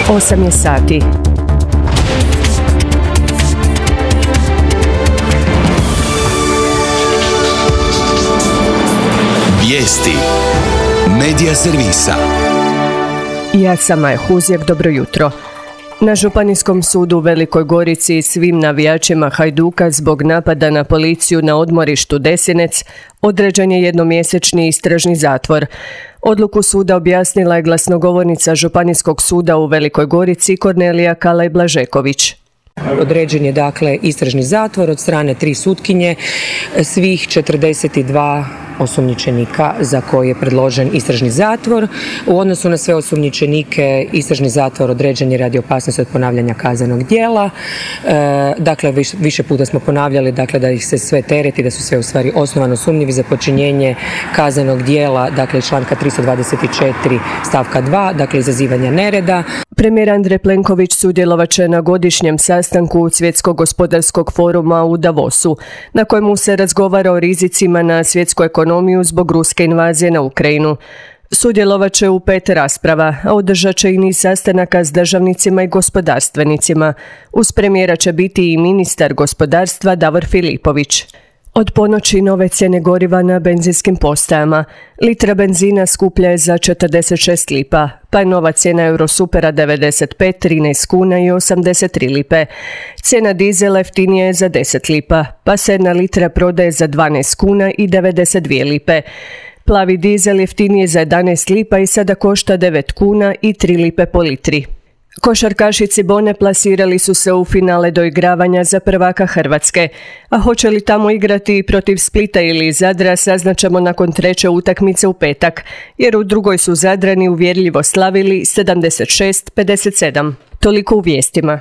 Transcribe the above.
8 je sati. Vijesti Medija servisa. Ja sam Maja Huzjak, dobro jutro. Na Županijskom sudu u Velikoj Gorici svim navijačima Hajduka zbog napada na policiju na odmorištu Desinec određen je jednomjesečni istražni zatvor. Odluku suda objasnila je glasnogovornica Županijskog suda u Velikoj Gorici Kornelija Kalaj-Blažeković. Određen je dakle istražni zatvor od strane 3 sutkinje, svih 42 osumnjičenika za koje je predložen istražni zatvor. U odnosu na sve osumnjičenike istražni zatvor određen je radi opasnosti od ponavljanja kaznenog djela. Dakle, više puta smo ponavljali da ih se sve tereti, da su sve u stvari osnovano sumnjivi za počinjenje kaznenog djela, dakle članka 324 stavka 2, dakle izazivanja nereda. Premijer Andrej Plenković sudjelovat će na godišnjem sastanku Svjetskog gospodarskog foruma u Davosu, na kojemu se razgovara o rizicima na svjetsku ekonomiju zbog ruske invazije na Ukrajinu. Sudjelovat će u 5 rasprava, a održat će i niz sastanaka s državnicima i gospodarstvenicima. Uz premijera će biti i ministar gospodarstva Davor Filipović. Od ponoći nove cijene goriva na benzinskim postajama. Litra benzina skuplja je za 46 lipa, pa je nova cijena Eurosupera 95, 13 kuna i 83 lipe. Cijena dizela jeftinija je za 10 lipa, pa se 1 litra prodaje za 12 kuna i 92 lipe. Plavi dizel jeftiniji je za 11 lipa i sada košta 9 kuna i 3 lipe po litri. Košarkaši Cibone plasirali su se u finale doigravanja za prvaka Hrvatske, a hoće li tamo igrati protiv Splita ili Zadra saznaćemo nakon 3. utakmice u petak, jer u drugoj su Zadrani uvjerljivo slavili 76-57. Toliko u vijestima.